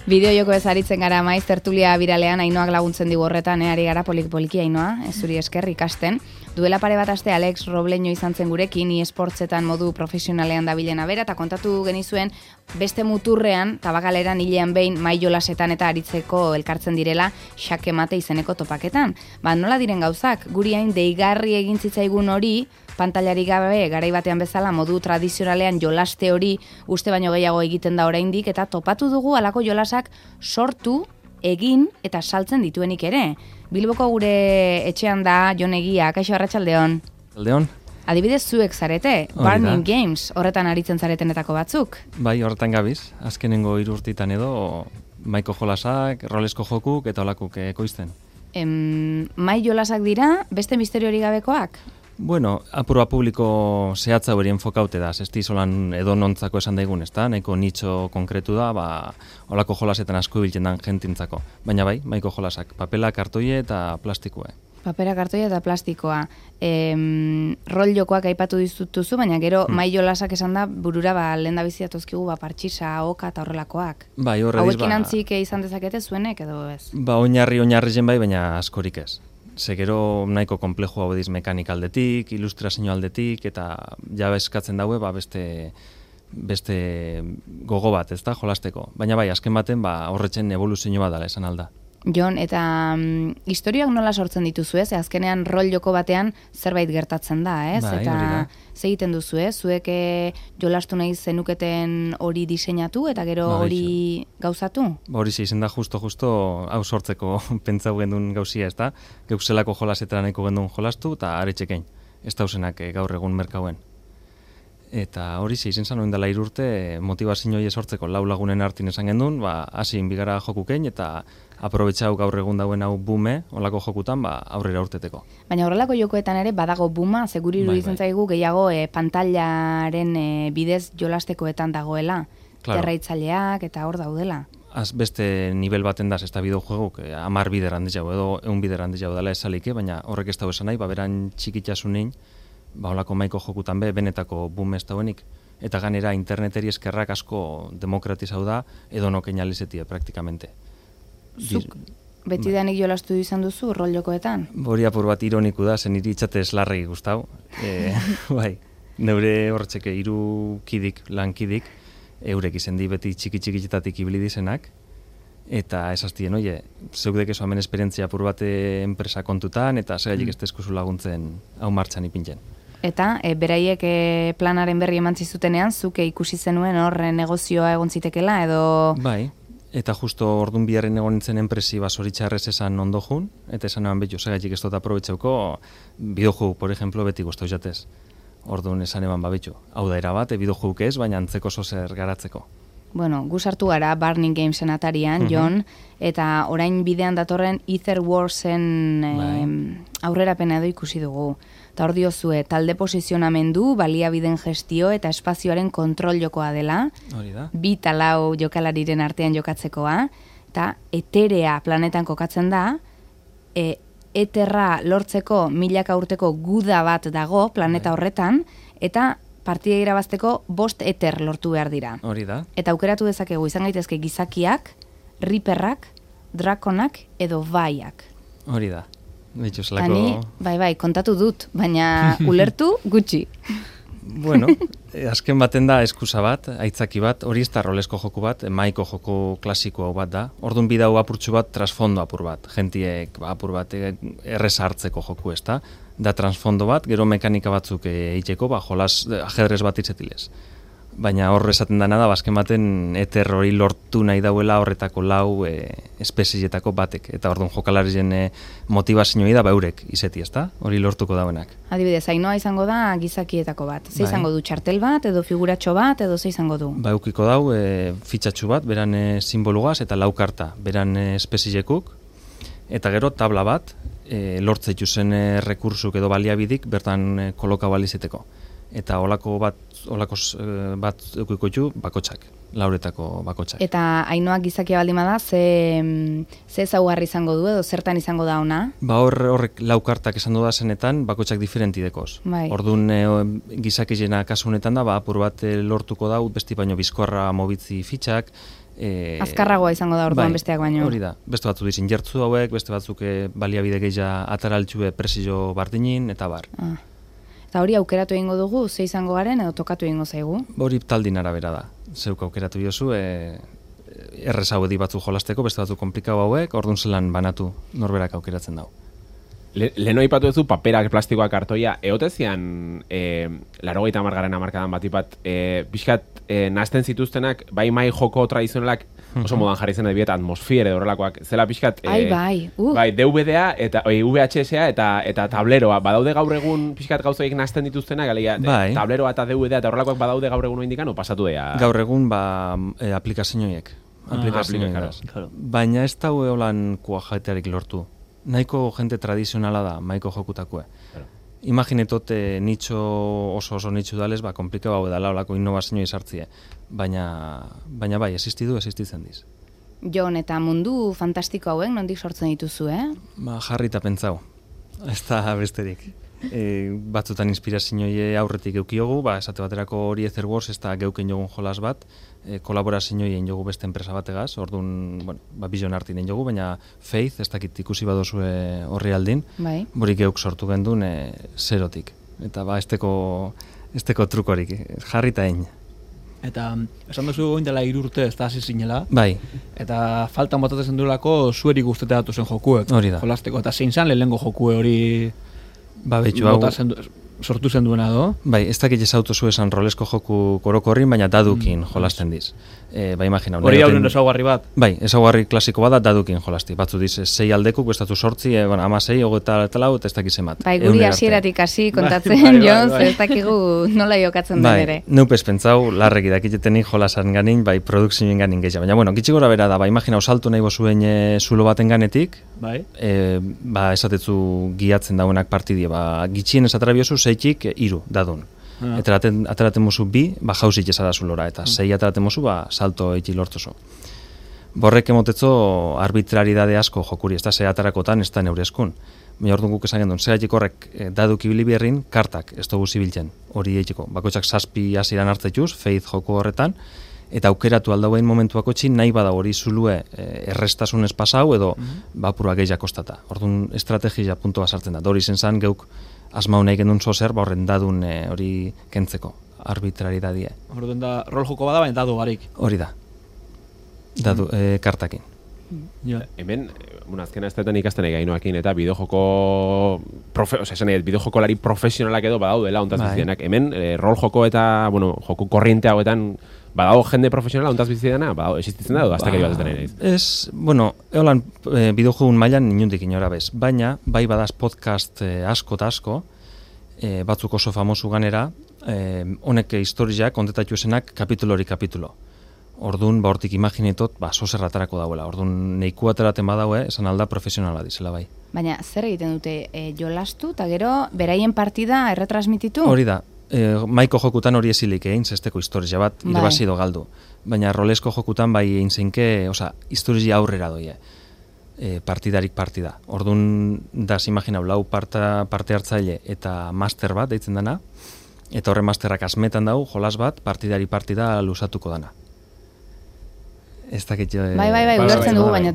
Bideo joko ez aritzen gara maiz, tertulia biralean Ainoak laguntzen digu horretan, ari gara poliki Ainoa, zuri esker ikasten. Duela pare bat aste Alex Robleño izan zen gurekin, eSportsetan modu profesionalean dabilena bera, eta kontatu genizuen beste muturrean, tabakaleran hilean behin mai jolasetan eta aritzeko elkartzen direla xake mate izeneko topaketan. Nola diren gauzak, guri hain deigarri egin zitzaigun hori, pantailari gabe garai batean bezala modu tradizionalean jolaste hori uste baino gehiago egiten da oraindik, eta topatu dugu halako jolasak sortu, egin eta saltzen dituenik ere. Bilboko gure etxean da Jon Egia, kaixo arratsaldeon. Aldeon. Adibidez zuek zarete, Burning Games, horretan aritzen zaretenetako batzuk. Bai, horretan gabiz, azkenengo 3 urtetan edo maiko jolasak, rolesko jokuk eta olakuk ekoizten. Mai jolasak dira, beste misterio hori gabekoak? Bueno, apurua publiko zehatza hori enfokaute da, ez dizolan edo nontzako esan daigun, ez da, nahiko nitxo konkretu da, olako jolasetan asko ibiltzen dan jentintzako. Baina bai, maiko jolasak, papela, kartoie eta plastikoa. Papera, kartoia eta plastikoa. Rol jokoak aipatu dituzu, baina gero mai jolasak esan da burura lehen da biziatozkigu partxisa, oka eta horrelakoak. Bai, horrediz hauekin antzik izan dezakete zuenek edo ez? Oinarri zen bai, baina askorik ez. Ze gero nahiko komplejo hau ediz mekanik aldetik, ilustrazio aldetik, eta ja eskatzen daue beste gogo bat, ez da, jolasteko. Baina bai, azken baten horretzen evoluzio bat dela esan alda. Jon, eta historioak nola sortzen dituzu ez? Azkenean rol joko batean zerbait gertatzen da, ez? Bai, eta ze egiten duzu, ez? Zuek jolastu nahi zenuketen hori diseinatu eta gero hori gauzatu? Hori izen da justo hau sortzeko pentsau gendun gauzia, ez da? Geuk zelako jolasetara nahiko gendun jolastu eta aretxekein. Ez dauzenak gaur egun merkauen. Eta hori izen zan dela 3 urte motivazioi sortzeko 4 lagunen artin esan gendun, hasin bigara jokukein eta aprobetxau gaur egun dauen hau bume, olako jokutan, aurrera urteteko. Baina horrelako jokoetan ere badago buma, seguri iruditzen zaigu gehiago pantailaren bidez jolastekoetan dagoela, terraitzaileak eta hor daudela. Beste nivel baten daz, ez da bideojueguk, 10 bider handiz jau edo 1 bider handiz jau dela esalike, baina horrek ez dago esan nahi, beran txikitasunein, olako maiko jokutan benetako boom ez dauenik. Eta ganera interneteri eskerrak asko demokratizau da, edo nokein alizetie praktikamente. Zuk betidanik jolastu izan duzu rol jokoetan? Hori apur bat ironiku da, zen iri itxate eslarregi guztau. Bai, neure horretzeke 3 kidik, lankidik, eurek izen di beti txiki-txikitatik ibili dizenak, eta esaztien, zeuk dekezu hemen esperientzia apur bat enpresa kontutan, eta segailik ez tezkuzu laguntzen hau martxan ipintzen. Eta beraiek planaren berri eman zizutenean, zuke ikusi zenuen horren negozioa egon zitekela, edo... Bai, eta justo ordun biharren egon nintzen enpresi zoritxarrez esan ondo jun, eta esan eban betu, segaitik ez dut aprobetxeuko, bideojugu, por ejemplo, beti guztau jatez. Orduan esan eban babetxu. Hau da erabat, bideojugu ez, baina antzeko zozer garatzeko. Bueno, gu sartu gara Burning Gamesen atarian, Jon, eta orain bidean datorren Ether Warsen aurrerapena edo ikusi dugu. Eta hor diozue, talde posizionamendu, baliabideen gestio eta espazioaren kontrol jokoa dela. Hori da. 2 eta 4 jokalariren artean jokatzekoa. Eta Eterea planetan kokatzen da, Eterra lortzeko 1000 urteko guda bat dago planeta horretan, eta partida irabazteko 5 Eter lortu behar dira. Hori da. Eta aukeratu dezakegu izan gaitezke gizakiak, Reaperrak, Drakonak edo Baiak. Hori da. Zelako... Bai, kontatu dut, baina ulertu gutxi. Bueno, azken baten da eskusa bat, aitzaki bat, hori ez da rolesko joku bat, maiko joko klasiko bat da. Orduan bidau apurtxu bat, trasfondo apur bat. Gentiek apur bat erreza hartzeko joku ez da. Da transfondo bat, gero mekanika batzuk eiteko, jolas ajedrez bat itzetilez. Baina hor esaten dana da, azken baten Eter hori lortu nahi dauela horretako 4 espezietako batek. Eta orduan jokalarien motivazioi da eurek izeti, ez da? Hori lortuko dauenak. Adibidez, Ainoa izango da gizakietako bat. Ze izango du txartel bat, edo figuratxo bat, edo ze izango du? Eukiko dau fitxatxu bat, beran simbolugaz eta 4 karta, beran espeziekuk. Eta gero tabla bat, lortzeitu zen rekursuk edo baliabidik bertan koloka balizeteko. Eta olako bat eukiko ju bakotxak, 4etako bakotxak. Eta Ainoak gizakia baldin bada, ze ezaugarri izango du edo zertan izango da ona? Horrek 4 kartak esan du da zenetan, bakotxak diferenti dekoz. Bai. Orduan gizakizena kasu honetan da, apur bat lortuko dau, besti baino bizkorra mobitzi fitxak, azkarragoa izango da orduan besteak baino. Hori da, beste batzuk dizin jertzu hauek, beste batzuk baliabide gehiago ataraltxue presio bardinin, eta bar. Eta hori aukeratu egingo dugu, ze izango garen edo tokatu egingo zaigu? Hori taldin arabera da. Zeuk aukeratu diozu, errez hauedi batzuk jolasteko, beste batzuk komplikau hauek, orduan zelan banatu norberak aukeratzen dago. Leheno aipatu duzu paperak, plastikoak, kartoia, eotezian 80. hamarkadan batipat, pixkat nazten zituztenak, bai mai joko tradizionalak oso modan jarri zen adibet atmosfiere horrelakoak, zela pixkat bai DVD-a eta VHS-a eta tableroa, badaude gaur egun pixkat gauzoik nazten dituztenak, tableroa eta DVD-a eta horrelakoak badaude gaur egun oindikan, o pasatu dea? Gaur egun aplikazioiek. Baina ez daue holan kuajatearik lortu. Nahiko jente tradizionala da, maiko jokutakue. Imaginetot nitxo oso nitxo dalez, komplikau hau edala olako innovazioa izartzie. Baina bai, existitzen diz. Jon, eta mundu fantastiko hauen, nondik sortzen dituzu, Jarri eta pentsau. Ez da besterik. Batzutan inspirazioie aurretik eukiogu, esate baterako hori Ether Wars ez da geuken jogun jolas bat, kolaborazioien jogu beste enpresa bategaz, orduan, Vision Artin jogu, baina Faith, ez dakit ikusi badozue horri aldin, borik geuk sortu gendun zerotik. Eta esteko trukorik, jarri eta egin. Eta esan duzu goin dela 3 urte ez da hasi zinela. Bai. Eta faltan botatzen duelako zueri guztetea datu zen jokuek. Hori da. Jolasteko, eta zein zan lehenengo jokue hori betxu hau sortu zen duena do? Bai, ez dakit ezautu zu esan rolesko joku korokorrin, baina dadukin jolasten diz. Imagina. Hori hauren ezaugarri bat? Bai, ezaugarri klasiko bat da dadukin jolasti. Batzu diz, 6 aldekuk, bestatu 8, 16, 24, eta ez dakiz emat. Bai, guri hasieratik hasi kontatzen, Jon, ez dakigu nola jokatzen den ere. Neupez pentsau, larreki dakitetenik jolasan ganin, bai, produkzioen ganin gehiago. Baina, gitxi gora bera da, imagina, osaltu nahi bozuen zulo baten ganetik, esatetzu giatzen dauenak partidie, gitxien esatarabiozu 6-ik 3 dadun. Eta ateraten mozu 2, jausik esara zulora, eta 6 ateraten mozu, salto eki lortoso. Borrek emotetzo arbitraridade asko jokuri, ez da ze atarakotan, ez da neurezkun. Baina orduan guk esan gendun, zeratik horrek daduk ibili berrin, kartak ez dugu zibiltzen, hori eitiko. Bakoitzak 7 hasiran hartzetuz, Faith joko horretan, eta aukeratu aldauen momentuako txin, nahi bada hori zulue errestasunez pasau, edo bapurua gehiak kostata. Orduan estrategia puntua sartzen da. Hori zen geuk asmau nahi gendun zozer, horren dadun hori kentzeko, arbitraridadie. Orduan da, rol joko bada, baina dadu barik. Hori da. Dadu, kartakin. Hemen, azkena ez detan ikasten egainoakin, eta bideojokolari profesionalak edo badaudela ontaz bizienak. Hemen, rol joko eta, joku korriente hauetan, badago jende profesionala ontaz bizidana, existitzen da, edo aztak edo batetan nahiz? Ez, eolan bideojogun mailan inundik inora bez, baina, bai badaz podcast asko eta asko, batzuk oso famosu ganera, honek historiak kontetatu esenak kapitulo. Orduan, hortik imaginetot, zozerratarako dauela. Orduan, neiku ateraten badaue, esan alda profesionala dizela bai. Baina, zer egiten dute, jolastu, eta gero, beraien partida erretransmititu? Hori da, maiko jokutan hori ezilik egin, zesteko historia bat, irabazido galdu. Baina rolesko jokutan bai egin zeinke, historia aurrera doie. Partidarik partida. Orduan, daz imaginau, lau parte hartzaile eta master bat deitzen dana, eta horre masterrak asmetan dau, jolas bat, partidari partida lusatuko dana. Ez dakit jo... Bai, ulertzen dugu, baina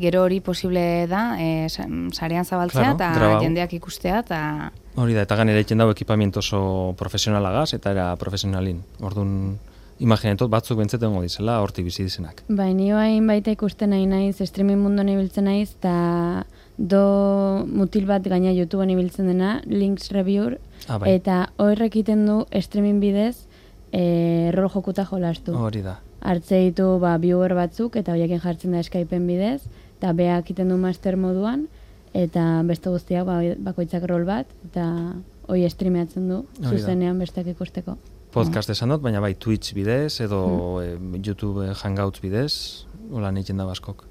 gero hori posible da, sarean zabaltzea eta jendeak ikustea, eta... Hori da, eta ganera egiten dago ekipamiento oso profesionalagaz, eta era profesionalin. Orduan, imaginetot batzuk bentzeten dizela, horti bizi dizenak. Bai, nio hain baita ikusten nahi naiz, streaming munduan ibiltzen naiz, eta mutil bat gaina YouTubeen ibiltzen dena, Links Reviewer, eta horrek egiten du streaming bidez, rol jokuta jolastu. Hori da. Hartze ditu viewer batzuk, eta horiekin jartzen da Skypeen bidez, eta beak egiten du master moduan, eta beste guztiak bakoitzak rol bat, eta hori streameatzen du, zuzenean besteak ikusteko. Podcast esan dut, baina bai Twitch bidez, edo YouTube Hangouts bidez, hola egiten da baskok.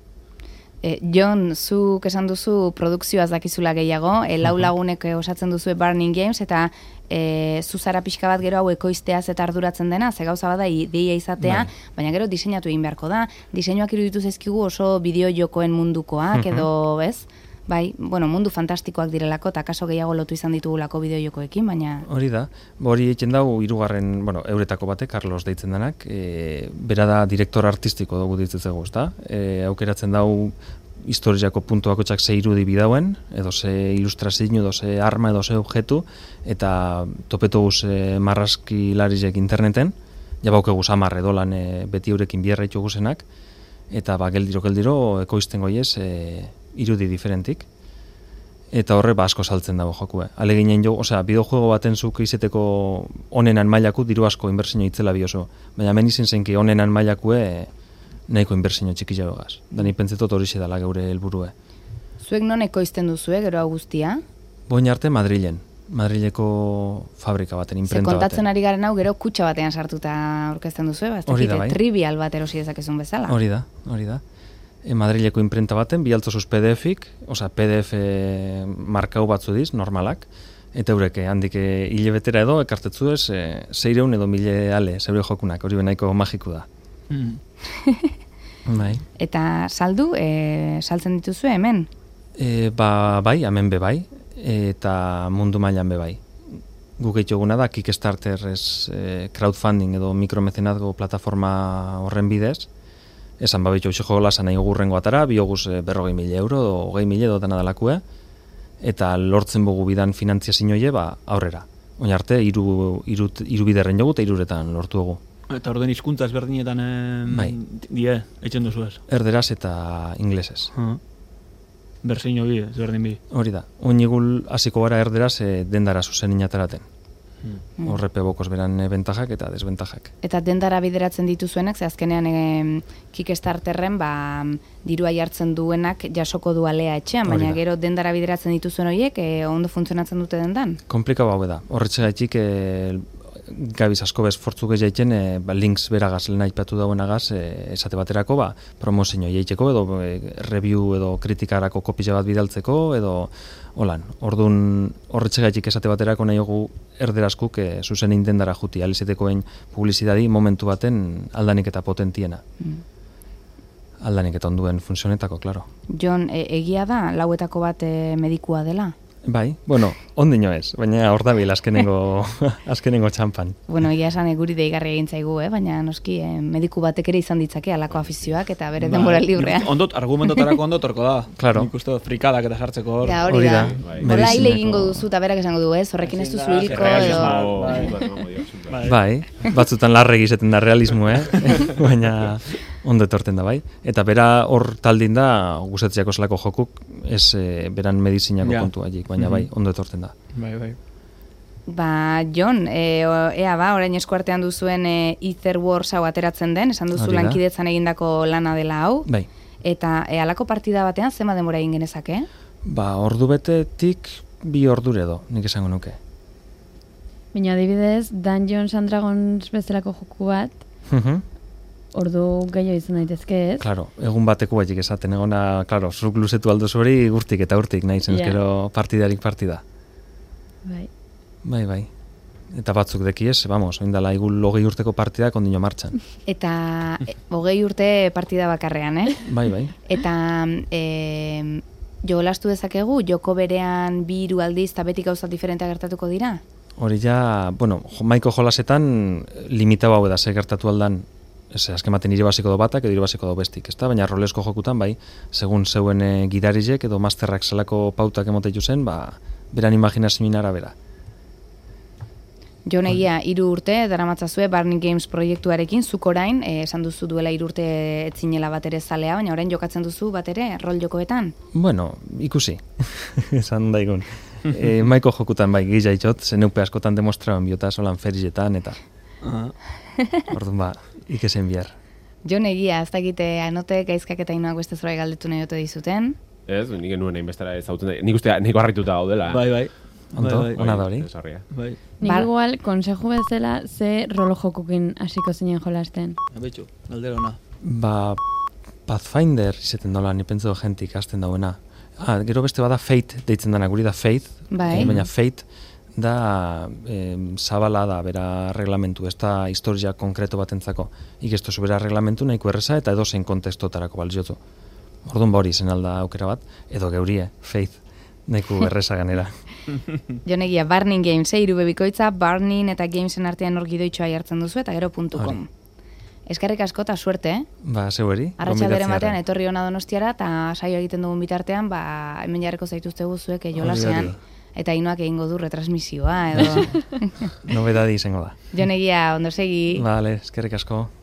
Jon, zuk esan duzu produkzioaz dakizula gehiago, lau lagunek osatzen duzu Burning Games, eta zuzara pixka bat gero hau ekoizteaz eta arduratzen dena, ze gauza bada ideia izatea, baina gero diseinatu egin beharko da. Diseinuak iruditu zaizkigu oso bideo jokoen mundukoak, edo, bez? Bai, bueno, mundu fantastikoak direlako, eta kaso gehiago lotu izan ditugulako bideojokoekin, baina... Hori da, hori egiten dau, hirugarren, euretako bate, Carlos deitzen denak, bera da direktor artistiko dugu ditzezego, ezta? Aukeratzen dau historiako puntuako txak ze irudi bidauen, edo ze ilustrazio, edo ze arma, edo ze objektu, eta topetuguz marrazki larizek interneten, jabaukeguz 10 edolan beti eurekin bierra ituguzenak, eta geldiro ekoizten goiez irudi diferentik, eta horre asko saltzen dago jokue. Aleginen jo, bideojuego baten zuk izeteko onenan mailaku diru asko inbertsio itzela bioso, baina hemen izen zenki onenan mailakue nahiko inbertsio txiki jabegaz. Da ni pentsetot hori dela geure helburue. Zuek non ekoizten duzue, gero hau guztia? Boin arte Madrileko fabrika baten, imprenta baten. Kontatzen ari garen hau gero kutxa batean sartuta aurkezten duzue, hori da, bai. Trivial bat erosi dezakezun bezala. Hori da. Madrileko imprenta baten, bialtzosuz PDF-ik, PDF markau batzu diz, normalak, eta eurek handik hilebetera edo, ekartetzu ez, 600 edo 1000 ale, zeure jokunak, hori benaiko magiku da. Bai. Eta saldu, saltzen dituzue hemen? Bai, hemen be bai, eta mundu mailan be bai. Guk egituguna da Kickstarter crowdfunding edo mikromecenazgo plataforma horren bidez, esan babitxo uxeko lasan nahi gurrengo atara, bioguz 40.000 euro, 20.000 edo dena dalakue, eta lortzen bugu bidan finantziazioie aurrera. Oin arte, iru biderren jogu eta iruretan lortu dugu. Eta orden hizkuntza ezberdinetan eitzen duzu ez? Erderaz eta inglesez. Berseino bi, ezberdin bi. Hori da. Oinigul hasiko gara erderaz dendara zuzen inataraten. Horrepe bokos beran bentajak eta desbentajak. Eta dendara bideratzen dituzuenak, ze azkenean Kickstarterren dirua jartzen duenak jasoko du alea etxean, baina gero dendara bideratzen dituzuen horiek ondo funtzionatzen dute dendan? Komplikau hau da. Horretxegaitik gabiz asko bezfortzuk ez jaiten links beragaz lehen aipatu dauenagaz esate baterako promozio jaiteko edo review edo kritikarako kopia bat bidaltzeko edo holan. Orduan horretxegaitik esate baterako nahi dugu erderazkuk zuzen indendara juti alizetekoen publizidadi momentu baten aldanik eta potentiena. Aldanik eta onduen funtzionetako, klaro. Jon, egia da lauetako bat medikua dela? Bai, ondino ez, baina hor dabil azkenengo txampan. Egia esan guri deigarri egin zaigu, baina noski mediku batek ere izan ditzake alako afizioak eta bere denbora librea. Argumentotarako ondotorko da. Claro. Nik uste frikadak eta sartzeko hor. Hori da. Hola hile egingo duzu eta berak esango du, horrekin ez duzu hilko edo... Bai, batzutan larregi izaten da realismo, baina ondo etorten da, bai. Eta bera hor taldin da, guztetziako zelako jokuk, ez beran medizinako kontu haiek, baina bai, ondo etorten da. Bai. Jon, orain eskuartean duzuen Ether Wars hau ateratzen den, esan duzu lankidetzan egindako lana dela hau. Bai. Eta halako partida batean, zema denbora egin genezake? Ordu betetik 2 ordure edo, nik esango nuke. Baina adibidez, Dungeons and Dragons bezalako joku bat, ordu gehiago izan daitezke ez? Claro, egun bateko baitik esaten egona, claro, zuk luzetu aldo hori urtik eta urtik nahi zenezkero partidarik partida. Bai. Eta batzuk dekiez, oindala igul 20 urteko partidak ondino martxan. Eta 20 urte partida bakarrean, Bai. Eta jolastu dezakegu, joko berean 2 aldiz eta beti gauza diferentea gertatuko dira? Hori ja, maiko jolasetan limitau hau da, gertatu aldan, azken baten irabaziko do batak edo irabaziko do bestik, ezta? Baina rolesko jokutan, segun zeuen gidarizek edo masterrak zelako pautak emoteitu zen, beran imaginazioen arabera. Jon, egia, 3 urte daramatzazue Barney Games proiektuarekin, zuk orain, esan duzu duela 3 urte etzinela bat ere zalea, baina orain jokatzen duzu bat ere rol jokoetan? Ikusi, esan daigun. Maiko jokutan gila itxot, zeneupe askotan demostraban biota solan ferizetan, eta orduan ikezen bihar. Jon, egia, ez dakite anote gaizkak eta inoak beste zorai galdetu nahi ote dizuten? Ez, nik enuen egin bestara ezautzen da, nik uste niko harrituta gaudela. Bai. Ondo, ona da hori. Nik igual, konseju bezala, ze rolo jokukin hasiko zinen jolasten? Betxu, galdera ona. Pathfinder izaten dola, ni pentsu jentik hasten dauena. Gero beste bada Fate deitzen dana, guri da Faith, baina Fate da zabala da bera reglamentu, ez da historia konkreto batentzako. Ikestu bera reglamentu nahiko erreza eta edozein kontestotarako balziotu. Orduan hori zen alda aukera bat, edo geurie, Faith, neku erreza ganera. Jonegia, Burning Games, irube bikoitza, Burning eta Gamesen artean hor gidoitxoa jartzen duzu, eta gero .com. Eskerrik asko eta suerte, eh? Ba, zeueri. Arratxalderen batean, etorri hona Donostiara, eta saio egiten dugun bitartean, hemen jarreko zaituzte guzuek, jolasean, eta Ainoak egingo du retransmisioa, edo... Nobedadi izango da. Jonegia, ondo segi. Vale, eskerrik asko.